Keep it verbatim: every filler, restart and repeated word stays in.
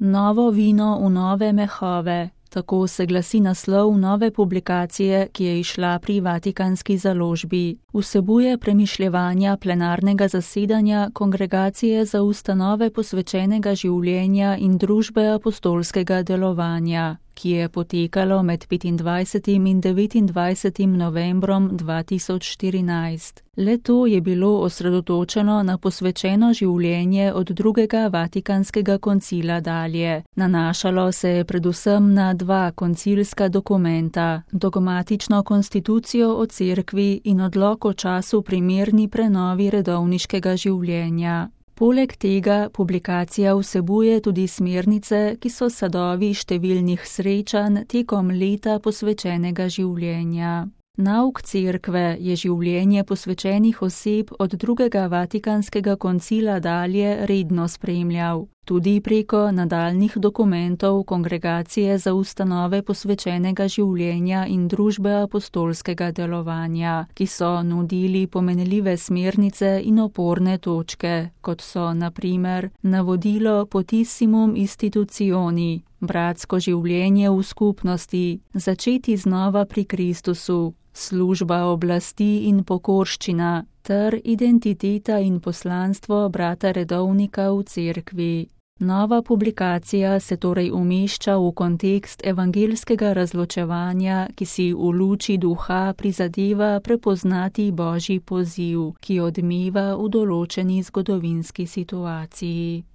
Novo vino v nove mehove. Tako se glasi naslov nove publikacije, ki je izšla pri Vatikanski založbi. Vsebuje premišljevanja plenarnega zasedanja Kongregacije za ustanove posvečenega življenja in družbe apostolskega delovanja, ki je potekalo med petindvajsetim in devetindvajsetim novembrom dva tisoč štirinajst. Le-to je bilo osredotočeno na posvečeno življenje od drugega Vatikanskega koncila dalje. Nanašalo se je predvsem na dva koncilska dokumenta, dogmatično konstitucijo o cerkvi in odlok o času primerni prenovi redovniškega življenja. Poleg tega publikacija vsebuje tudi smernice, ki so sadovi številnih srečanj tekom leta posvečenega življenja. Nauk cerkve je življenje posvečenih oseb od drugega Vatikanskega koncila dalje redno spremljal, tudi preko nadaljnih dokumentov Kongregacije za ustanove posvečenega življenja in družbe apostolskega delovanja, ki so nudili pomenljive smernice in oporne točke, kot so na primer navodilo Potissimum Institutioni, bratsko življenje v skupnosti, začeti znova pri Kristusu, služba oblasti in pokorščina ter identiteta in poslanstvo brata redovnika v cerkvi. Nova publikacija se torej umešča v kontekst evangeljskega razločevanja, ki si v luči duha prizadeva prepoznati Božji poziv, ki odmeva v določeni zgodovinski situaciji.